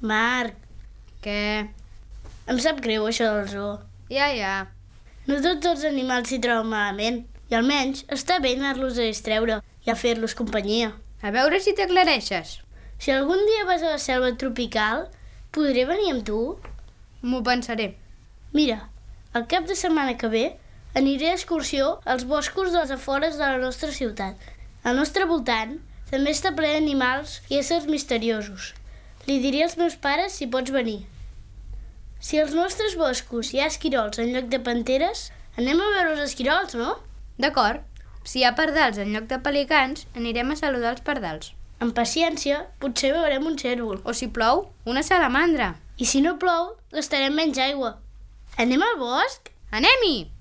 Marc, Què? em sap greu això del zoo. Ja. No tots els animals s'hi troben malament, i almenys està bé anar-los a distreure i a fer-los companyia. A veure si t'aclareixes. Si algun dia vas a la selva tropical, podré venir amb tu? M'ho pensaré. Mira, el cap de setmana que ve aniré d'excursió als boscos dels afores de la nostra ciutat. Al nostre voltant també està ple d'animals i éssers misteriosos. Li diré als meus pares si pots venir. Si als nostres boscos hi ha esquirols en lloc de panteres, anem a veure els esquirols, no? D'acord. Si hi ha pardals en lloc de pelicans, anirem a saludar els pardals. Amb paciència, potser veurem un cérvol. O si plou, una salamandra. I si no plou, gastarem menys aigua. Anem al bosc? Anem-hi!